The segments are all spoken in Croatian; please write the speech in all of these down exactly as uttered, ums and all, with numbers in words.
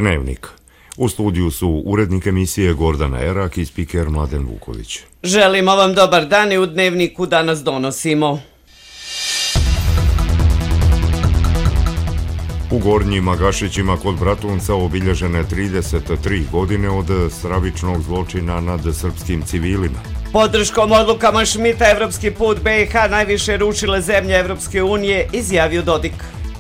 Dnevnik. U studiju su urednik emisije Gordana Erak i spiker Mladen Vuković. Želimo vam dobar dan i u Dnevniku danas donosimo. U Gornjim Magašićima kod Bratunca obilježene trideset tri godine od stravičnog zločina nad srpskim civilima. Podrškom odlukama Šmita Evropski put B i H najviše rušile zemlje Evropske unije, izjavio Dodik.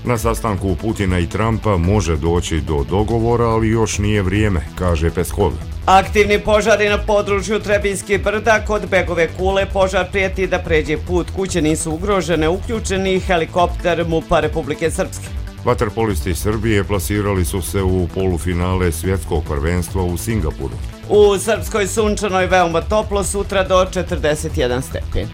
Na sastanku Putina i Trumpa može doći do dogovora, ali još nije vrijeme, kaže Peskov. Aktivni požari na području Trebinjskih brda, kod Begove Kule požar prijeti da pređe put, kuće nisu ugrožene, uključeni helikopter MUP-a Republike Srpske. Vaterpolisti Srbije plasirali su se u polufinale svjetskog prvenstva u Singapuru. U Srpskoj sunčanoj veoma toplo, sutra do četrdeset jedan stepen.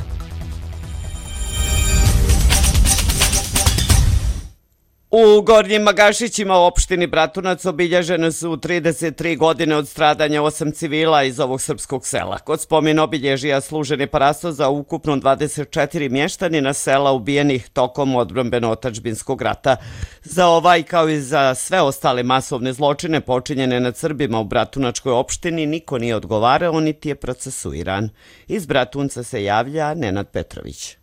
U Gornjim Magašićima u opštini Bratunac obilježene su trideset tri godine od stradanja osam civila iz ovog srpskog sela. Kod spomen obilježija služen je parasto za ukupno dvadeset četiri mještanina sela ubijenih tokom odbrambeno-otadžbinskog rata. Za ovaj, kao i za sve ostale masovne zločine počinjene nad Srbima u Bratunačkoj opštini, niko nije odgovarao, niti je procesuiran. Iz Bratunca se javlja Nenad Petrović.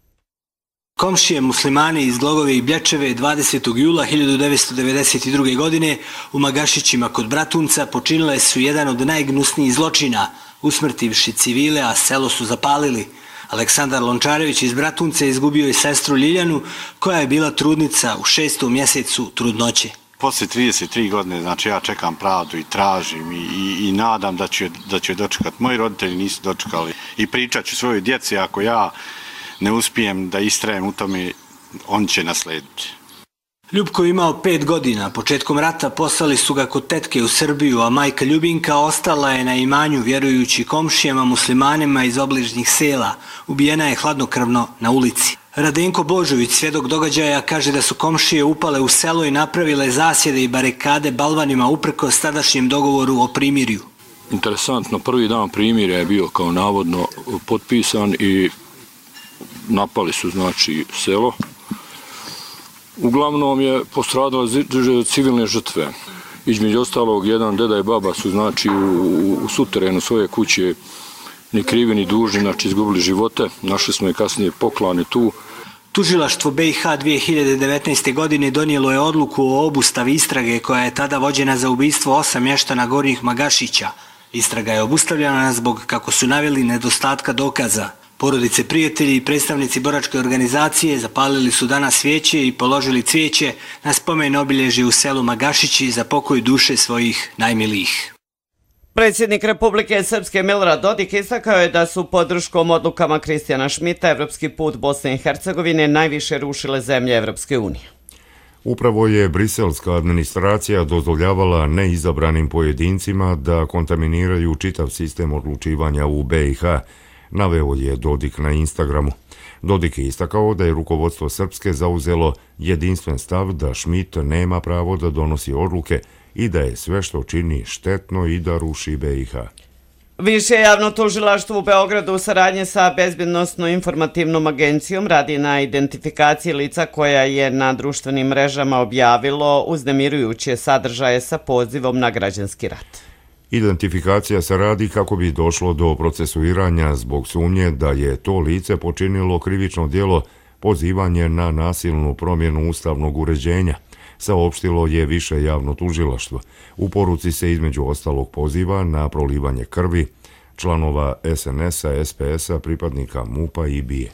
Komšije muslimani iz Glogove i Blječeve dvadesetog jula hiljadu devetsto devedeset druge. godine u Magašićima kod Bratunca počinile su jedan od najgnusnijih zločina, usmrtivši civile, a selo su zapalili. Aleksandar Lončarević iz Bratunca izgubio i sestru Ljiljanu, koja je bila trudnica u šestom mjesecu trudnoće. Poslije trideset tri godine, znači ja čekam pravdu i tražim i, i, i nadam da ću, da ću dočekati. Moji roditelji nisu dočekali i pričat ću svojoj djeci ako ja ne uspijem da istrajem u tome, on će naslediti. Ljubko je imao pet godina. Početkom rata poslali su ga kod tetke u Srbiju, a majka Ljubinka ostala je na imanju vjerujući komšijama muslimanima iz obližnjih sela. Ubijena je hladnokrvno na ulici. Radenko Božović, svjedok događaja, kaže da su komšije upale u selo i napravile zasjede i barikade balvanima uprkos tadašnjem dogovoru o primirju. Interesantno, prvi dan primirja je bio kao navodno potpisan i napali su znači selo. Uglavnom je postradalo civilne žrtve. Između ostalog, jedan deda i baba su znači u, u suterenu svoje kuće ni krivi ni dužni, znači izgubili živote. Našli smo i kasnije poklane tu. Tužilaštvo B i H dvije hiljade devetnaeste. godine donijelo je odluku o obustavi istrage koja je tada vođena za ubistvo osam mještana Gornjih Magašića. Istraga je obustavljena zbog, kako su naveli, nedostatka dokaza. Porodice, prijatelji i predstavnici boračke organizacije zapalili su danas svijeće i položili cvijeće na spomen obilježje u selu Magašići za pokoj duše svojih najmilijih. Predsjednik Republike Srpske Milorad Dodik istakao je da su podrškom odlukama Kristijana Šmita Evropski put Bosne i Hercegovine najviše rušile zemlje Evropske unije. Upravo je briselska administracija dozvoljavala neizabranim pojedincima da kontaminiraju čitav sistem odlučivanja u B i H, naveo je Dodik na Instagramu. Dodik je istakao da je rukovodstvo Srpske zauzelo jedinstven stav da Šmit nema pravo da donosi odluke i da je sve što čini štetno i da ruši B i H. Više javno tužilaštvo u Beogradu u saradnji sa Bezbjednosno-informativnom agencijom radi na identifikaciji lica koja je na društvenim mrežama objavilo uznemirujuće sadržaje sa pozivom na građanski rat. Identifikacija se radi kako bi došlo do procesuiranja zbog sumnje da je to lice počinilo krivično djelo pozivanje na nasilnu promjenu ustavnog uređenja, saopštilo je više javno tužilaštvo. U poruci se između ostalog poziva na prolivanje krvi članova S N S-a, S P S-a, pripadnika MUP-a i B I E.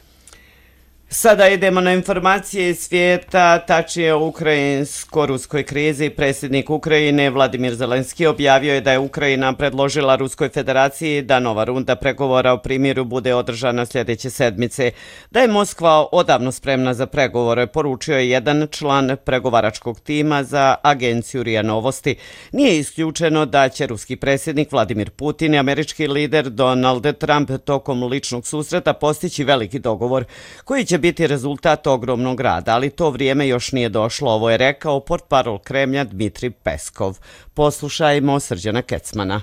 Sada idemo na informacije iz svijeta, tačnije o ukrajinsko-ruskoj krizi. Predsjednik Ukrajine Vladimir Zelenski objavio je da je Ukrajina predložila Ruskoj federaciji da nova runda pregovora o primiru bude održana sljedeće sedmice. Da je Moskva odavno spremna za pregovore, poručio je jedan član pregovaračkog tima za agenciju R I A Novosti. Nije isključeno da će ruski predsjednik Vladimir Putin i američki lider Donald Trump tokom ličnog susreta postići veliki dogovor koji će biti rezultat ogromnog rada, ali to vrijeme još nije došlo, ovo je rekao portparol Kremlja Dmitrij Peskov. Poslušajmo Srđana Kecmana.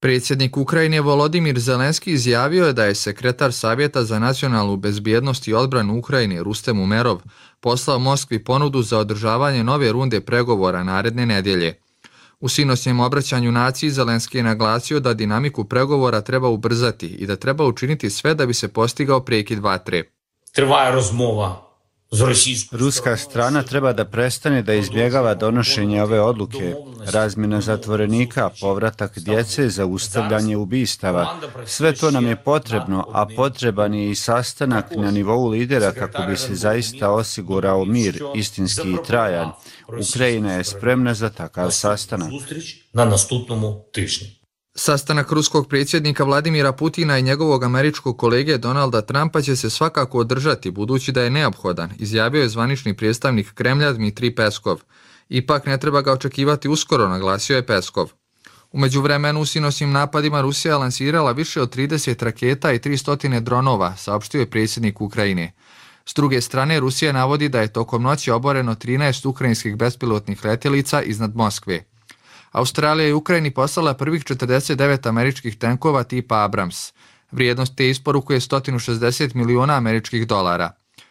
Predsjednik Ukrajine Volodimir Zelenski izjavio je da je sekretar Savjeta za nacionalnu bezbjednost i odbranu Ukrajine Rustem Umerov poslao Moskvi ponudu za održavanje nove runde pregovora naredne nedjelje. U sinoćnjem obraćanju naciji Zelenski je naglasio da dinamiku pregovora treba ubrzati i da treba učiniti sve da bi se postigao prekid vatre. Trvaje rozmova. Ruska strana treba da prestane da izbjegava donošenje ove odluke, razmjena zatvorenika, povratak djece, zaustavljanje ubistava. Sve to nam je potrebno, a potreban je i sastanak na nivou lidera kako bi se zaista osigurao mir, istinski i trajan. Ukrajina je spremna za takav sastanak. Na nastupnom tižnju. Sastanak ruskog predsjednika Vladimira Putina i njegovog američkog kolege Donalda Trumpa će se svakako održati, budući da je neophodan, izjavio je zvanični predstavnik Kremlja Dmitrij Peskov. Ipak ne treba ga očekivati uskoro, naglasio je Peskov. U međuvremenu u sinoćnim napadima Rusija lansirala više od trideset raketa i tristo dronova, saopštio je predsjednik Ukrajine. S druge strane, Rusija navodi da je tokom noći oboreno trinaest ukrajinskih bespilotnih letjelica iznad Moskve. Australija je Ukrajini poslala prvih četrdeset devet američkih tenkova tipa Abrams. Vrijednost te isporuke je sto šezdeset miliona američkih dolara.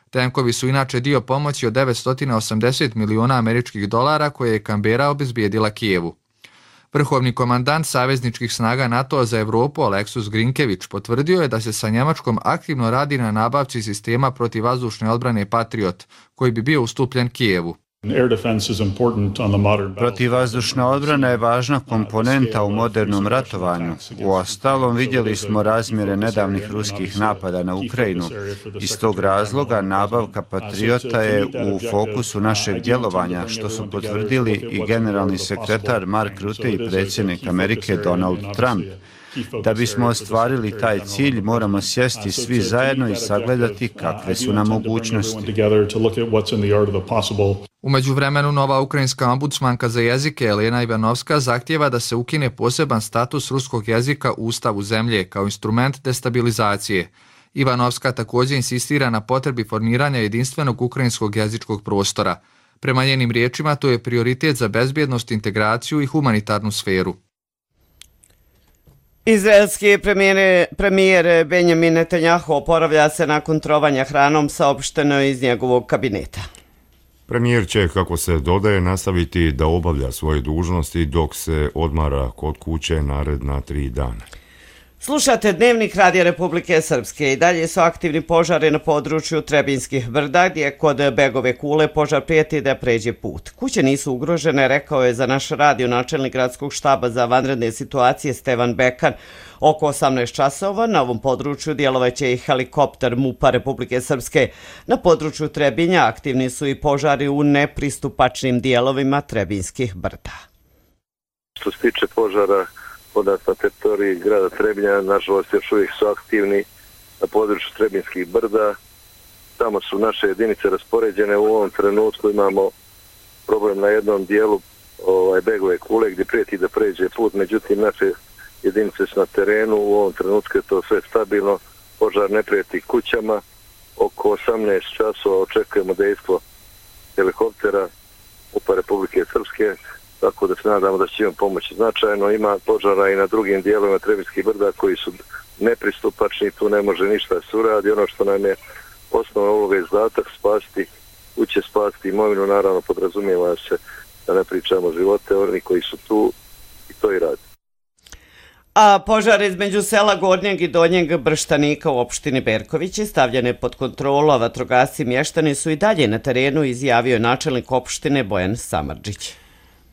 Tenkovi su inače dio pomoći od devetsto osamdeset miliona američkih dolara koje je Kambera obezbijedila Kijevu. Vrhovni komandant savezničkih snaga NATO za Evropu Aleksus Grinkević potvrdio je da se sa Njemačkom aktivno radi na nabavci sistema protivvazdušne odbrane Patriot, koji bi bio ustupljen Kijevu. Protivvazdušna odbrana je važna komponenta u modernom ratovanju. Uostalom, vidjeli smo razmjere nedavnih ruskih napada na Ukrajinu. Iz tog razloga nabavka Patriota je u fokusu našeg djelovanja, što su potvrdili i generalni sekretar Mark Rutte i predsjednik Amerike Donald Trump. Da bismo ostvarili taj cilj, moramo sjesti svi zajedno i sagledati kakve su nam mogućnosti. U međuvremenu nova ukrajinska ombudsmanka za jezike Elena Ivanovska zahtijeva da se ukine poseban status ruskog jezika u ustavu zemlje kao instrument destabilizacije. Ivanovska također insistira na potrebi formiranja jedinstvenog ukrajinskog jezičkog prostora. Prema njenim riječima, to je prioritet za bezbjednost, integraciju i humanitarnu sferu. Izraelski premijer, premijer Benjamin Netanjahu oporavlja se nakon trovanja hranom, saopšteno iz njegovog kabineta. Premijer će, kako se dodaje, nastaviti da obavlja svoje dužnosti dok se odmara kod kuće naredna tri dana. Slušate Dnevnik Radija Republike Srpske. I dalje su aktivni požari na području Trebinskih brda, gdje kod Begove kule požar prijeti da pređe put. Kuće nisu ugrožene, rekao je za naš radio načelnik gradskog štaba za vanredne situacije Stevan Bekan. Oko osamnaest časova na ovom području djelovaće i helikopter MUP-a Republike Srpske. Na području Trebinja aktivni su i požari u nepristupačnim dijelovima Trebinskih brda. Što se tiče požara podat na teritoriji grada Trebinja, nažalost još uvijek su aktivni na području Trebinskih brda. Tamo su naše jedinice raspoređene. U ovom trenutku imamo problem na jednom dijelu ovaj, Begove kule gdje prijeti da pređe put, međutim naše jedinice su na terenu, u ovom trenutku je to sve stabilno, požar ne prijeti kućama. Oko osamnaest časova očekujemo dejstvo helikoptera MUP-a Republike Srpske, tako da se nadamo da će im pomoći značajno. Ima požara i na drugim dijelovima Trebinskih brda koji su nepristupačni, tu ne može ništa se uradi. Ono što nam je osnovna uloga i zadatak, spasiti kuće, spasiti imovinu, naravno podrazumijeva se da ne pričamo živote, oni koji su tu i to i radi. A požar između sela Gornjeg i Donjeg Brštanika u opštini Berković je stavljene pod kontrolu, a vatrogasci mještani su i dalje na terenu, izjavio je načelnik opštine Bojan Samardžić.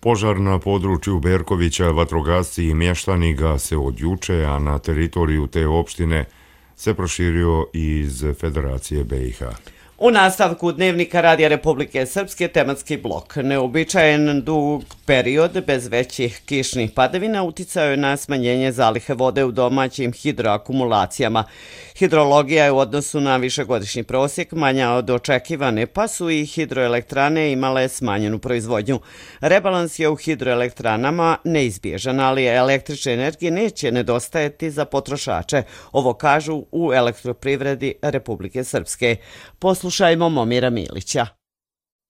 Požar na području Berkovića, vatrogasci i mještani gase od juče, a na teritoriju te opštine se proširio iz Federacije B i H. U nastavku Dnevnika Radija Republike Srpske tematski blok. Neobičajen dug period bez većih kišnih padavina uticao je na smanjenje zalihe vode u domaćim hidroakumulacijama. Hidrologija je u odnosu na višegodišnji prosjek manja od očekivane, pa su i hidroelektrane imale smanjenu proizvodnju. Rebalans je u hidroelektranama neizbježan, ali električne energije neće nedostajati za potrošače. Ovo kažu u Elektroprivredi Republike Srpske. Poslušajmo Momira Milića.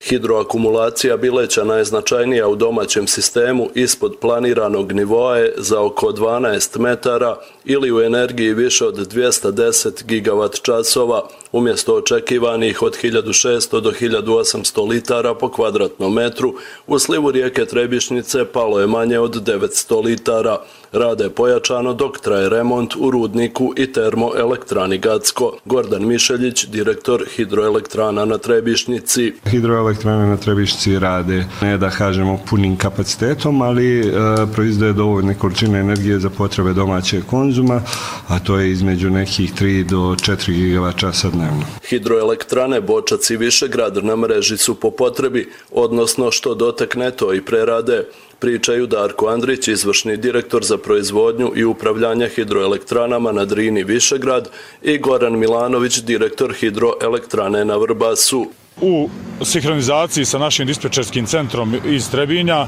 Hidroakumulacija Bileća najznačajnija u domaćem sistemu ispod planiranog nivoa je za oko dvanaest metara ili u energiji više od dvjesto deset gigavat časova, Umjesto očekivanih od hiljadu šesto do hiljadu osamsto litara po kvadratnom metru, u slivu rijeke Trebišnjice palo je manje od devetsto litara. Rade je pojačano dok traje remont u rudniku i termoelektrani Gacko. Gordan Mišeljić, direktor hidroelektrana na Trebišnjici. Hidroelektrane na Trebišnjici rade, ne da kažemo punim kapacitetom, ali e, proizdaje dovoljne količine energije za potrebe domaćeg konzuma, a to je između nekih tri do četiri gigavat časa dnevno. Hidroelektrane Bočac i Višegrad na mreži su po potrebi, odnosno što dotekne to i prerade. Pričaju Darko Andrić, izvršni direktor za proizvodnju i upravljanje hidroelektranama na Drini Višegrad, i Goran Milanović, direktor hidroelektrane na Vrbasu. U sinhronizaciji sa našim dispečerskim centrom iz Trebinja,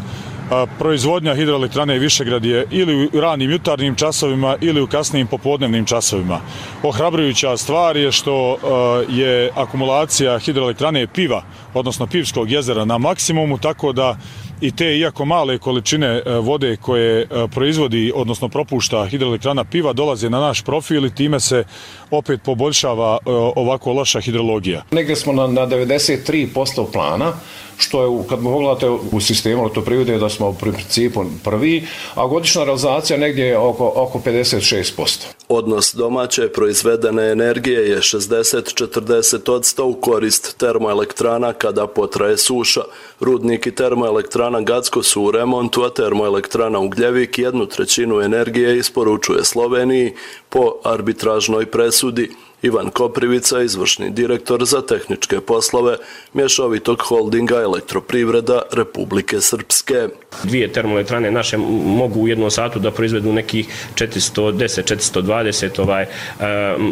proizvodnja hidroelektrane Višegrad je ili u ranim jutarnjim časovima ili u kasnijim popodnevnim časovima. Ohrabrujuća stvar je što je akumulacija hidroelektrane Piva, odnosno Pivskog jezera, na maksimumu, tako da i te, iako male količine vode koje proizvodi, odnosno propušta hidroelektrana Piva, dolaze na naš profil i time se opet poboljšava ovako loša hidrologija. Negdje smo na, na devedeset tri posto plana, što je, kad pogledate u sistemu Elektroprivrede, da smo u principu prvi, a godišnja realizacija negdje je oko, oko pedeset šest posto. Odnos domaće proizvedene energije je šezdeset četrdeset odsto u korist termoelektrana kada potraje suša. Rudnik i termoelektrana Gacko su u remontu, a termoelektrana Ugljevik jednu trećinu energije isporučuje Sloveniji po arbitražnoj presudi. Ivan Koprivica, izvršni direktor za tehničke poslove mješovitog holdinga Elektroprivreda Republike Srpske. Dvije termoelektrane naše mogu u jednom satu da proizvedu nekih četiristo deset do četiristo dvadeset ovaj,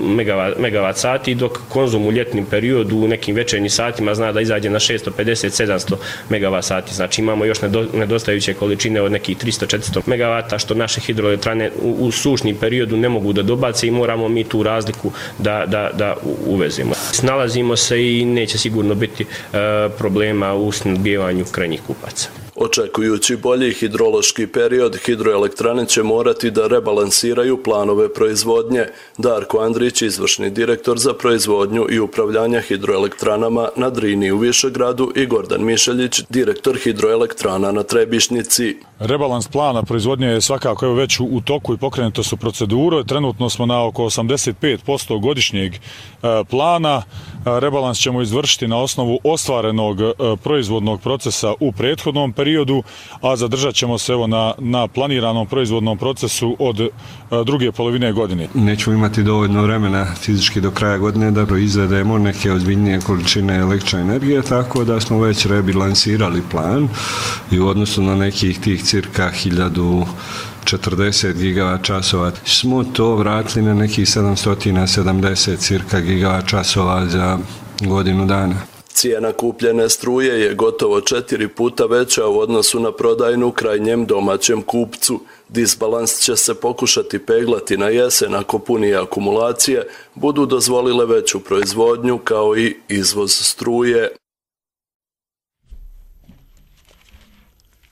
megavat, megavat sati, dok konzum u ljetnim periodu u nekim večernjim satima zna da izađe na šesto pedeset do sedamsto megavat sati. Znači imamo još nedostajuće količine od nekih tristo do četiristo megavata, što naše hidroelektrane u, u sušnim periodu ne mogu da dobace i moramo mi tu razliku da Da, da uvezimo. Snalazimo se i neće sigurno biti e, problema u snabdijevanju krajnjih kupaca. Očekujući bolji hidrološki period, hidroelektrane će morati da rebalansiraju planove proizvodnje. Darko Andrić, izvršni direktor za proizvodnju i upravljanje hidroelektranama na Drini u Višegradu, i Gordan Mišeljić, direktor hidroelektrana na Trebišnjici. Rebalans plana proizvodnje je svakako evo već u toku i pokrenuto su procedure. Trenutno smo na oko osamdeset pet posto godišnjeg plana. Rebalans ćemo izvršiti na osnovu ostvarenog proizvodnog procesa u prethodnom periodu, a zadržat ćemo se evo na, na planiranom proizvodnom procesu od druge polovine godine. Nećemo imati dovoljno vremena fizički do kraja godine da proizvedemo neke ozbiljnije količine električne energije, tako da smo već rebilansirali plan i u odnosu na nekih tih cirka hiljadu četrdeset gigavat časova smo to vratili na nekih sedamsto sedamdeset cirka gigavat časova za godinu dana. Cijena kupljene struje je gotovo četiri puta veća u odnosu na prodajnu krajnjem domaćem kupcu. Disbalans će se pokušati peglati na jesen ako punije akumulacije budu dozvolile veću proizvodnju kao i izvoz struje.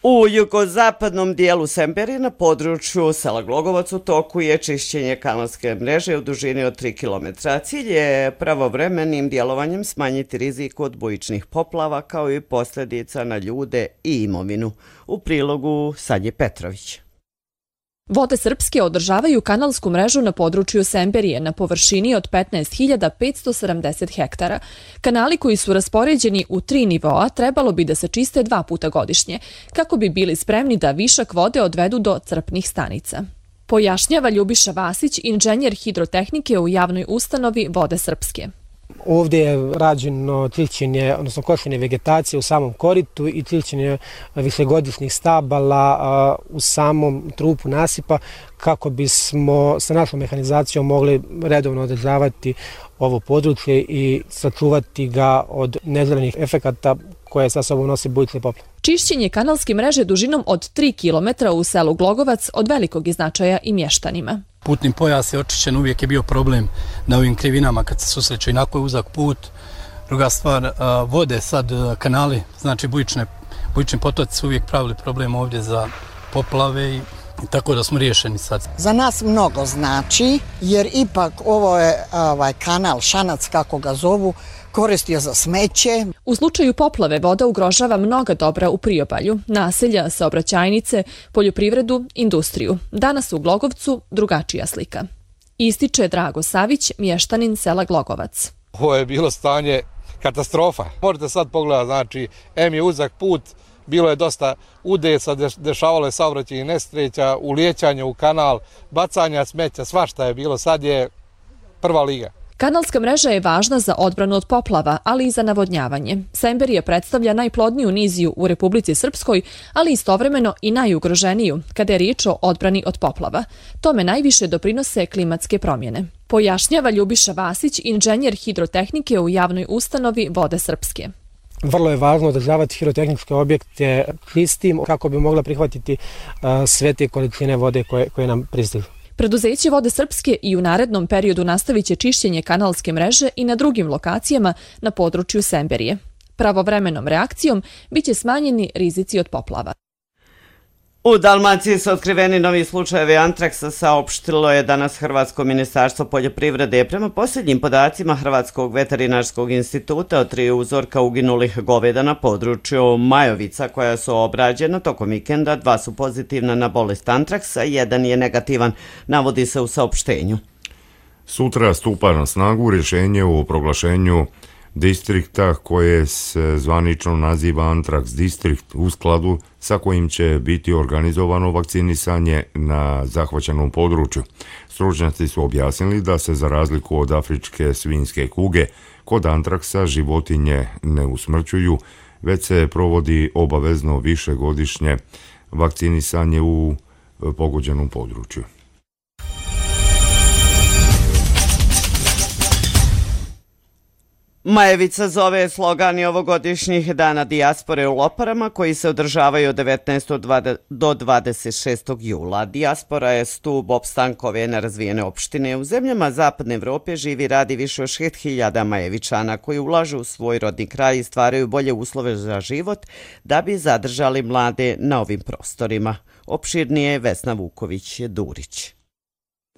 U jugozapadnom dijelu Semberije na području sela Glogovac u toku je čišćenje kanalske mreže u dužini od tri kilometra. Cilj je pravovremenim djelovanjem smanjiti rizik od bujičnih poplava kao i posljedica na ljude i imovinu. U prilogu Sadje Petrović. Vode Srpske održavaju kanalsku mrežu na području Semberije na površini od petnaest hiljada petsto sedamdeset hektara. Kanali koji su raspoređeni u tri nivoa trebalo bi da se čiste dva puta godišnje, kako bi bili spremni da višak vode odvedu do crpnih stanica. Pojašnjava Ljubiša Vasić, inženjer hidrotehnike u javnoj ustanovi Vode Srpske. Ovdje je rađeno trilćenje, odnosno košenje vegetacije u samom koritu i trilćenje višegodišnjih stabala u samom trupu nasipa kako bismo sa našom mehanizacijom mogli redovno održavati ovo područje i sačuvati ga od neželjenih efekata koje sa sobom nosi bujične poplave. Čišćenje kanalske mreže dužinom od tri kilometra u selu Glogovac od velikog je značaja i mještanima. Putni pojas je očišćen, uvijek je bio problem na ovim krivinama kad se susreću, inako je uzak put. Druga stvar, vode sad, kanali, znači bujične, bujični potoci su uvijek pravili problem ovdje za poplave i Tako da smo riješeni sad. Za nas mnogo znači, jer ipak ovo je ovaj, kanal Šanac, kako ga zovu, koristio za smeće. U slučaju poplave voda ugrožava mnoga dobra u priobalju, naselja, saobraćajnice, poljoprivredu, industriju. Danas u Glogovcu drugačija slika. Ističe Drago Savić, mještanin sela Glogovac. Ovo je bilo stanje katastrofa. Možete sad pogledati, znači, em je uzak put, bilo je dosta udesa, dešavalo je saobraćajnih nesreća, ulijećanje u kanal, bacanja smeća, svašta je bilo, sad je prva liga. Kanalska mreža je važna za odbranu od poplava, ali i za navodnjavanje. Semberije predstavlja najplodniju niziju u Republici Srpskoj, ali istovremeno i najugroženiju kada je riječ o odbrani od poplava. Tome najviše doprinose klimatske promjene. Pojašnjava Ljubiša Vasić, inženjer hidrotehnike u javnoj ustanovi Vode Srpske. Vrlo je važno održavati hidrotehničke objekte čistim kako bi mogla prihvatiti uh, sve te količine vode koje, koje nam pristižu. Preduzeće Vode Srpske i u narednom periodu nastavit će čišćenje kanalske mreže i na drugim lokacijama na području Semberije. Pravovremenom reakcijom biće smanjeni rizici od poplava. U Dalmaciji su otkriveni novi slučajevi antraksa, saopštilo je danas Hrvatsko ministarstvo poljoprivrede. Prema posljednjim podacima Hrvatskog veterinarskog instituta od tri uzorka uginulih goveda na području Majovica koja su obrađena tokom vikenda, dva su pozitivna na bolest antraksa, jedan je negativan, navodi se u saopštenju. Sutra stupa na snagu rješenje o proglašenju distrikta koje se zvanično naziva Antraks distrikt, u skladu sa kojim će biti organizovano vakcinisanje na zahvaćenom području. Stručnjaci su objasnili da se za razliku od afričke svinjske kuge kod antraksa životinje ne usmrćuju, već se provodi obavezno višegodišnje vakcinisanje u pogođenom području. Majevica zove slogan i ovogodišnjih dana dijaspore u Loparama koji se održavaju od devetnaestog do dvadeset šestog jula. Dijaspora je stub opstanka ove nerazvijene opštine. U zemljama Zapadne Evrope živi i radi više od šest hiljada Majevičana koji ulažu u svoj rodni kraj i stvaraju bolje uslove za život da bi zadržali mlade na ovim prostorima. Opširnije Vesna Vuković-Durić.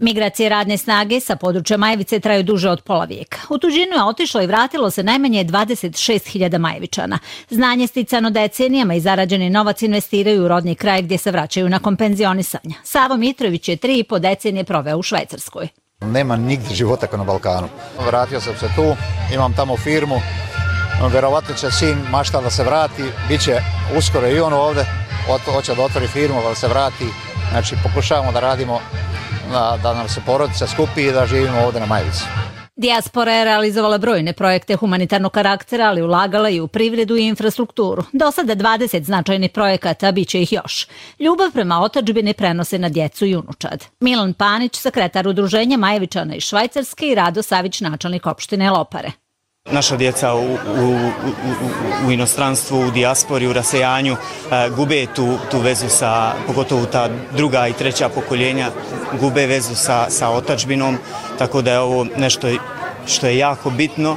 Migracije radne snage sa područja Majevice traju duže od pola vijeka. U tuđinu je otišlo i vratilo se najmanje dvadeset šest hiljada Majevičana. Znanje sticano decenijama i zarađeni novac investiraju u rodni kraj gdje se vraćaju nakon penzionisanja. Savo Mitrović je tri i po decenije proveo u Švajcarskoj. Nema nigdje života kao na Balkanu. Vratio sam se tu, imam tamo firmu, verovatno će sin mašta da se vrati, bit će uskoro i on ovdje, hoće da otvori firmu, da se vrati. Znači pokušavamo da radimo Da, da nam se porodica skupi i da živimo ovdje na Majevici. Dijaspora je realizovala brojne projekte humanitarnog karaktera, ali ulagala i u privredu i infrastrukturu. Do sada dvadeset značajnih projekata, bit će ih još. Ljubav prema otadžbini prenose na djecu i unučad. Milan Panić, sekretar udruženja Majevičana iz Švajcarske i Rado Savić, načelnik opštine Lopare. Naša djeca u, u, u, u inostranstvu, u dijaspori, u rasejanju e, gube tu, tu vezu sa, pogotovo ta druga i treća pokoljenja, gube vezu sa, sa otadžbinom, tako da je ovo nešto što je jako bitno, e,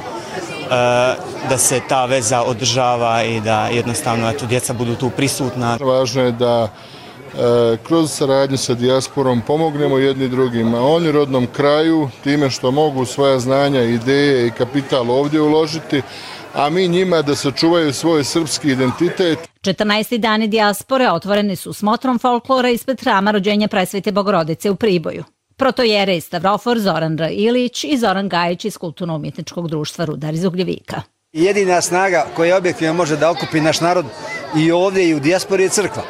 da se ta veza održava i da jednostavno eto, djeca budu tu prisutna. Važno je da kroz saradnju sa dijasporom pomognemo jedni drugima, oni rodnom kraju, time što mogu svoja znanja, ideje i kapital ovdje uložiti, a mi njima da sačuvaju svoj srpski identitet. četrnaesti dani dijaspore otvoreni su smotrom folklora ispred hrama rođenja Presvete Bogorodice u Priboju. Protojere i Stavrofor Zoran R. Ilić i Zoran Gajić iz Kulturno-umjetničkog društva Rudar iz Ugljevika. Jedina snaga koja objektivno može da okupi naš narod i ovdje i u dijaspori je crkva.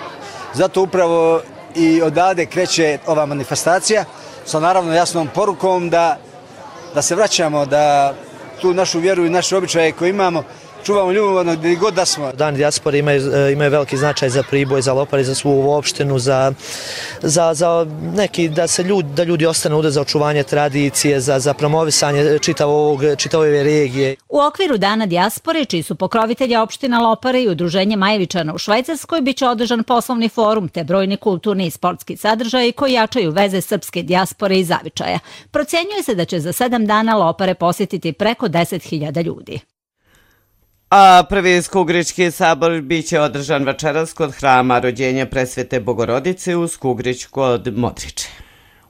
Zato upravo i odavde kreće ova manifestacija sa naravno jasnom porukom da, da se vraćamo, da tu našu vjeru i naše običaje koje imamo čuvamo ljubomorno gdje god da smo. Dan dijaspore imaju, imaju veliki značaj za Priboj, za Lopare, za svu opštinu, za, za, za neki da se ljudi, da ljudi ostanu ovdje za očuvanje tradicije, za, za promovisanje čitavog, čitave regije. U okviru Dana dijaspore, čiji su pokrovitelji opština Lopare i udruženje Majevičana u Švajcarskoj, bit će održan poslovni forum te brojni kulturni i sportski sadržaji koji jačaju veze srpske dijaspore i zavičaja. Procjenjuje se da će za sedam dana Lopare posjetiti preko deset hiljada ljudi. A prvi Skugrički sabor biće održan večeras kod hrama rođenja Presvete Bogorodice u Skugrić kod Modriče.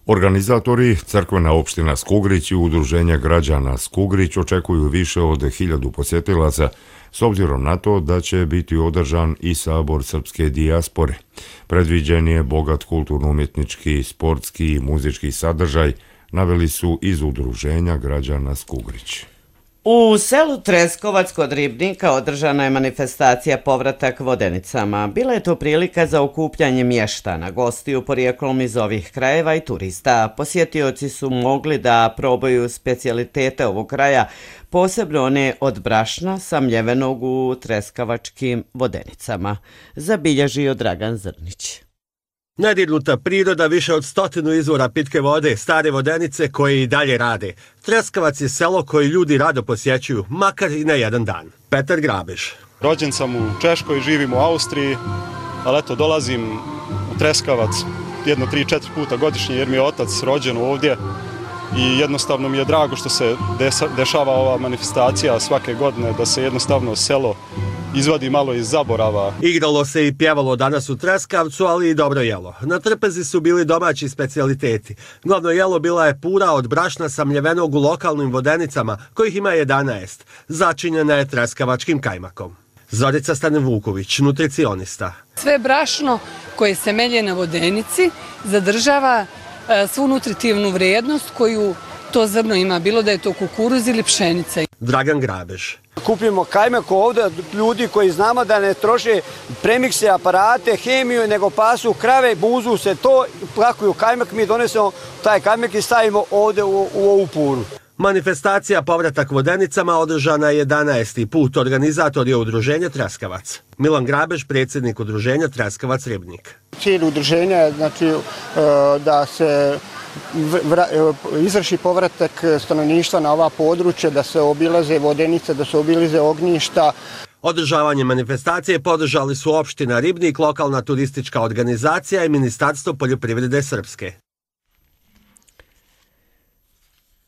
Organizatori, crkvena opština Skugrić i udruženja građana Skugrić očekuju više od hiljadu posjetilaca, s obzirom na to da će biti održan i sabor srpske dijaspore. Predviđen je bogat kulturno-umjetnički, sportski i muzički sadržaj, naveli su iz udruženja građana Skugrić. U selu Treskovac kod Ribnika održana je manifestacija Povratak Vodenicama. Bila je to prilika za okupljanje mještana, gostiju porijeklom iz ovih krajeva i turista. Posjetioci su mogli da probaju specijalitete ovog kraja, posebno one od brašna samljevenog u Treskavačkim Vodenicama. Zabilježio Dragan Zrnić. Nedirnuta priroda, više od stotinu izvora pitke vode, stare vodenice koje i dalje rade. Treskavac je selo koje ljudi rado posjećuju, makar i ne jedan dan. Petar Grabež. Rođen sam u Češkoj, živim u Austriji, ali eto dolazim u Treskavac jedno, tri, četiri puta godišnje jer mi je otac rođen ovdje i jednostavno mi je drago što se dešava ova manifestacija svake godine, da se jednostavno selo izvadi malo iz zaborava. Igralo se i pjevalo danas u Treskavcu, ali i dobro jelo. Na trpezi su bili domaći specijaliteti. Glavno jelo bila je pura od brašna samljevenog u lokalnim vodenicama, kojih ima jedanaest. Začinjena je treskavačkim kajmakom. Zorica Stane-Vuković, nutricionista. Sve brašno koje se melje na vodenici zadržava e, svu nutritivnu vrijednost koju to zrno ima, bilo da je to kukuruz ili pšenica. Dragan Grabež. Kupimo kajmak ovdje ljudi koji znamo da ne troše premikse, aparate, hemiju, nego pasu krave, buzu se to, plakuju kajmak, mi donesemo taj kajmak i stavimo ovdje u, u ovu puru. Manifestacija Povratak Vodenicama održana je jedanaesti put. Organizator je udruženje Treskavac. Milan Grabež, predsjednik udruženja Treskavac Ribnik. Cilj udruženja je znači, da se izvrši povratak stanovništva na ova područja, da se obilaze vodenice, da se obilaze ognjišta. Održavanje manifestacije podržali su opština Ribnik, lokalna turistička organizacija i Ministarstvo poljoprivrede Srpske.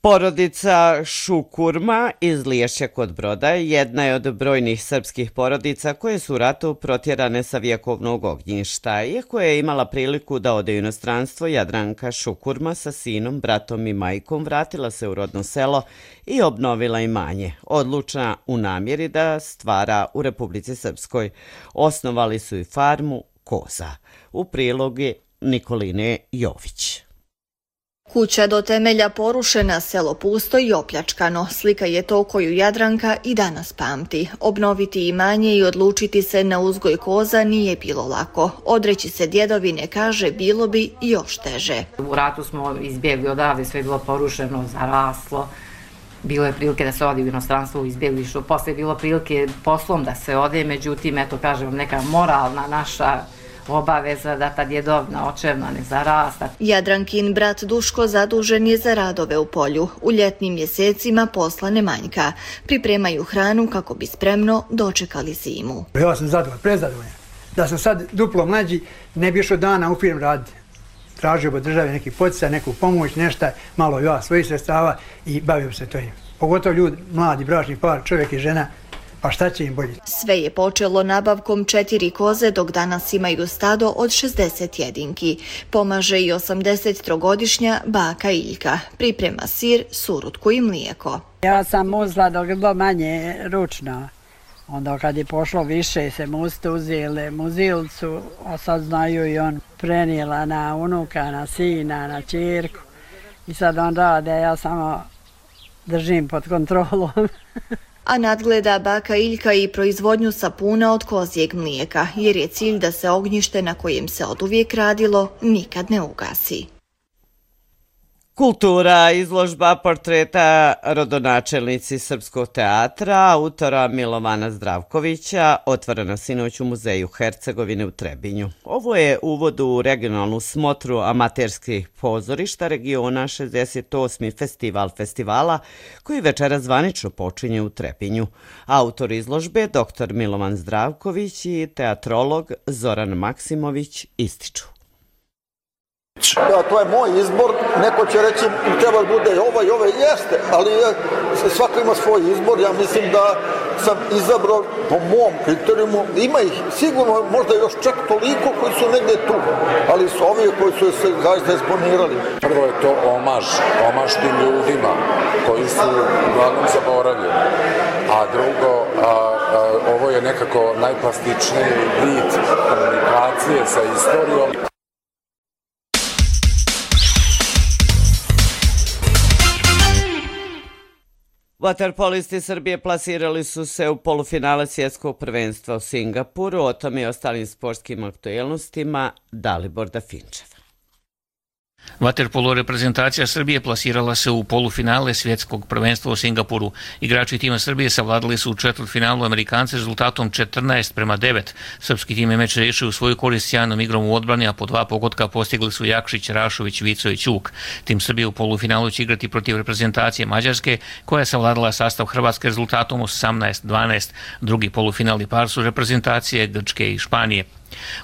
Porodica Šukurma iz Liješća kod Broda jedna je od brojnih srpskih porodica koje su u ratu protjerane sa vjekovnog ognjišta. Iako je imala priliku da ode u inostranstvo, Jadranka Šukurma sa sinom, bratom i majkom vratila se u rodno selo i obnovila imanje, odlučna u namjeri da stvara u Republici Srpskoj. Osnovali su i farmu koza. U prilogu Nikoline Jović. Kuća do temelja porušena, selo pusto i opljačkano. Slika je to koju Jadranka i danas pamti. Obnoviti imanje i odlučiti se na uzgoj koza nije bilo lako. Odreći se djedovine, kaže, bilo bi još teže. U ratu smo izbjegli odavde, sve je bilo porušeno, zaraslo. Bilo je prilike da se ode u inostranstvo u izbjeglištvo. Posle je bilo prilike poslom da se ode, međutim, eto kažem, neka moralna naša obaveza da ta djedovna očevna ne zarasta. Jadrankin brat Duško zadužen je za radove u polju. U ljetnim mjesecima posla ne manjka. Pripremaju hranu kako bi spremno dočekali zimu. Ja sam zadovoljan, prezadovoljan. Da sam sad duplo mlađi, ne bi išao dana u firmu raditi. Tražio bi države neki poticaj, neku pomoć, nešto, malo ja svojih sredstava i bavio se to. Pogotovo ljudi, mladi, bračni par, čovjek i žena, pa šta će im bolje? Sve je počelo nabavkom četiri koze, dok danas imaju stado od šezdeset jedinki. Pomaže i osamdesettrogodišnja baka Iljka. Priprema sir, surutku i mlijeko. Ja sam muzla dok je bilo manje ručno. Onda kad je pošlo više se muste uzeli muzilcu, a sad znaju i on prenijela na unuka, na sina, na čirku. I sad on rade, ja samo držim pod kontrolom. A nadgleda baka Iljka i proizvodnju sapuna od kozjeg mlijeka, jer je cilj da se ognjište na kojem se oduvijek radilo nikad ne ugasi. Kultura, izložba portreta rodonačelnici Srpskog teatra, autora Milovana Zdravkovića, otvorena sinoć u Muzeju Hercegovine u Trebinju. Ovo je uvod u regionalnu smotru amaterskih pozorišta regiona šezdeset osmi festival festivala, koji večera zvanično počinje u Trebinju. Autor izložbe, doktor Milovan Zdravković i teatrolog Zoran Maksimović ističu. Ja, to je moj izbor, neko će reći treba da bude ovo i ovo, jeste, ali svako ima svoj izbor, ja mislim da sam izabrao po mom kriterijumu, ima ih sigurno možda još čak toliko koji su negdje tu, ali su ovi koji su se zaista eksponirali. Prvo je to omaž, omaž tim ljudima koji su uglavnom zaboravljeni, a drugo, a, a, ovo je nekako najplastičniji vid komunikacije sa istorijom. Vaterpolisti Srbije plasirali su se u polufinale svjetskog prvenstva u Singapuru. O tome i ostalim sportskim aktuelnostima Dalibor Dafinčev. Vaterpolo reprezentacija Srbije plasirala se u polufinale svjetskog prvenstva u Singapuru. Igrači tima Srbije savladali su u četvrtfinalu Amerikance rezultatom četrnaest prema devet. Srpski tim je meč rešio u svoju korist sjajnom igrom u odbrani, a po dva pogotka postigli su Jakšić, Rašović, Vico i Ćuk. Tim Srbije u polufinalu će igrati protiv reprezentacije Mađarske, koja je savladala sastav Hrvatske rezultatom osamnaest dvanaest. Drugi polufinalni par su reprezentacije Grčke i Španije.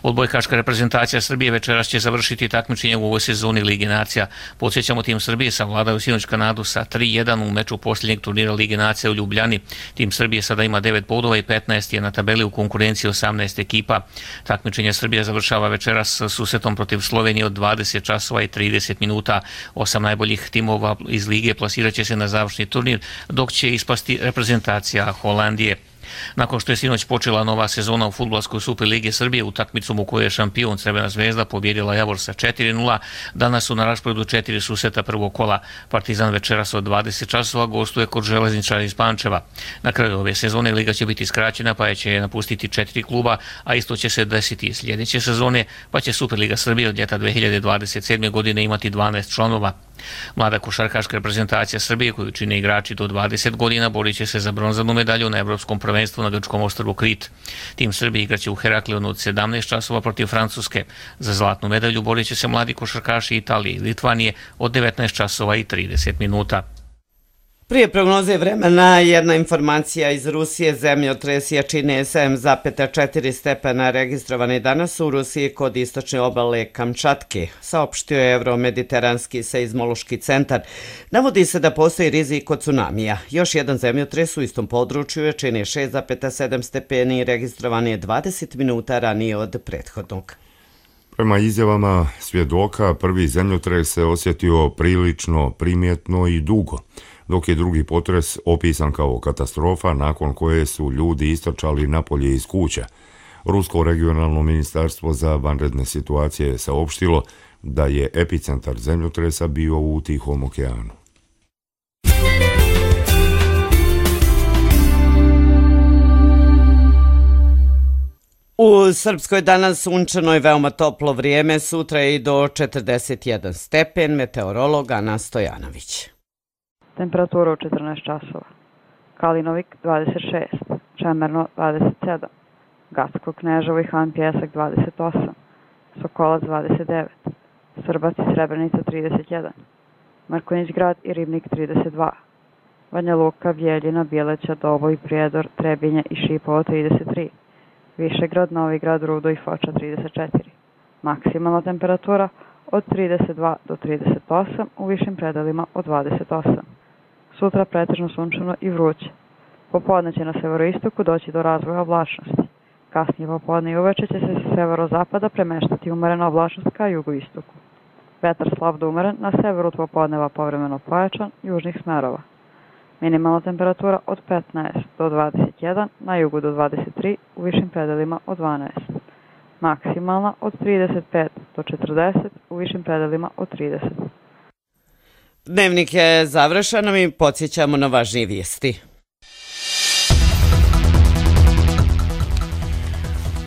Odbojkaška reprezentacija Srbije večeras će završiti takmičenje u ovoj sezoni Lige nacija. Podsjećamo, tim Srbije savladao sinoć Kanadu sa tri jedan u meču posljednjeg turnira Lige nacija u Ljubljani. Tim Srbije sada ima devet bodova i petnaest je na tabeli u konkurenciji osamnaest ekipa. Takmičenje Srbija završava večeras s susretom protiv Slovenije od dvadeset časova i trideset minuta. Osam najboljih timova iz Lige plasirat će se na završni turnir, dok će ispasti reprezentacija Holandije. Nakon što je sinoć počela nova sezona u fudbalskoj Superligi Srbije, utakmicom u kojoj je šampion Crvena zvezda pobjedila Javor sa četiri nula, danas su na rasporedu četiri susreta prvog kola. Partizan večeras od dvadeset časova gostuje kod Železničara iz Pančeva. Na kraju ove sezone liga će biti skraćena, pa će je napustiti četiri kluba, a isto će se desiti sljedeće sezone, pa će Superliga Srbije od ljeta dve hiljade dvadeset sedme. godine imati dvanaest članova. Mlada košarkaška reprezentacija Srbije, koju čine igrači do dvadeset godina, borit će se za bronzanu medalju na evropskom prvenstvu na grčkom ostrvu Krit. Tim Srbije igraće u Heraklionu od sedamnaest časova protiv Francuske. Za zlatnu medalju borit će se mladi košarkaši Italije i Litvanije od devetnaest časova i trideset minuta. Prije prognoze vremena jedna informacija iz Rusije. Zemljotres jačine sedam zarez četiri stepena registrovani danas u Rusiji kod istočne obale Kamčatke, saopštio je Euromediteranski seizmološki centar. Navodi se da postoji rizik od tsunamija. Još jedan zemljotres u istom području jačine šest zarez sedam stepeni registrovan je dvadeset minuta ranije od prethodnog. Prema izjavama svjedoka, prvi zemljotres se osjetio prilično primjetno i dugo, dok je drugi potres opisan kao katastrofa nakon koje su ljudi istrčali napolje iz kuća. Rusko regionalno ministarstvo za vanredne situacije je saopštilo da je epicentar zemljotresa bio u Tihom okeanu. U Srpskoj danas sunčano i veoma toplo vrijeme, sutra je i do četrdeset jedan stepen, meteorolog Ana Stojanović. Temperatura u četrnaest časova. Kalinovik dvadeset šest, Čemerno dvadeset sedam, Gacko Kneževo i Han Pjesak dvadeset osam, Sokolac dvadeset devet, Srbac i Srebrenica trideset jedan, Markonjić grad i Ribnik trideset dva, Banja Luka, Vjeljina, Bjeleća, Doboj, Prijedor, Trebinje i Šipovo trideset tri, Višegrad, Novigrad, Rudo i Foča trideset četiri. Maksimalna temperatura od trideset dva do trideset osam, u višim predelima od dvadeset osam. Sutra pretežno sunčano i vruće. Popodne će na severoistoku doći do razvoja oblačnosti. Kasnije popodne i uveče će se sa severozapada premeštati umerena oblačnost ka jugoistoku. Vetar slab do umeren, na severu od popodneva povremeno pojačan, južnih smerova. Minimalna temperatura od petnaest do dvadeset jedan, na jugu do dvadeset tri, u višim predelima od dvanaest. Maksimalna od trideset pet do četrdeset, u višim predelima od trideset. Dnevnik je završen, mi podsjećamo na važnije vijesti.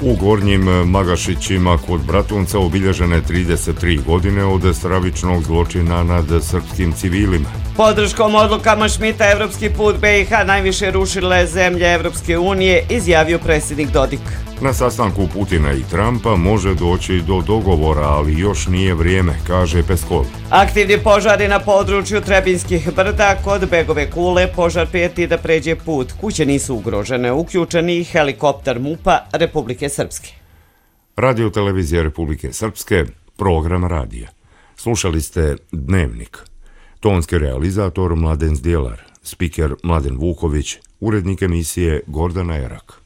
U Gornjim Magašićima kod Bratunca obilježene trideset tri godine od stravičnog zločina nad srpskim civilima. Podrškom odlukama Šmita Evropski put B i H najviše rušile zemlje Evropske unije, izjavio predsjednik Dodik. Na sastanku Putina i Trumpa može doći do dogovora, ali još nije vrijeme, kaže Peskov. Aktivni požari na području Trebinskih brda kod Begove Kule, požar prijeti da pređe put. Kuće nisu ugrožene, uključeni helikopter MUP-a Republike Srpske. Radio televizija Republike Srpske, program radija. Slušali ste Dnevnik. Tonski realizator Mladen Zdjelar, Spiker Mladen Vuković, urednik emisije Gordana Erak.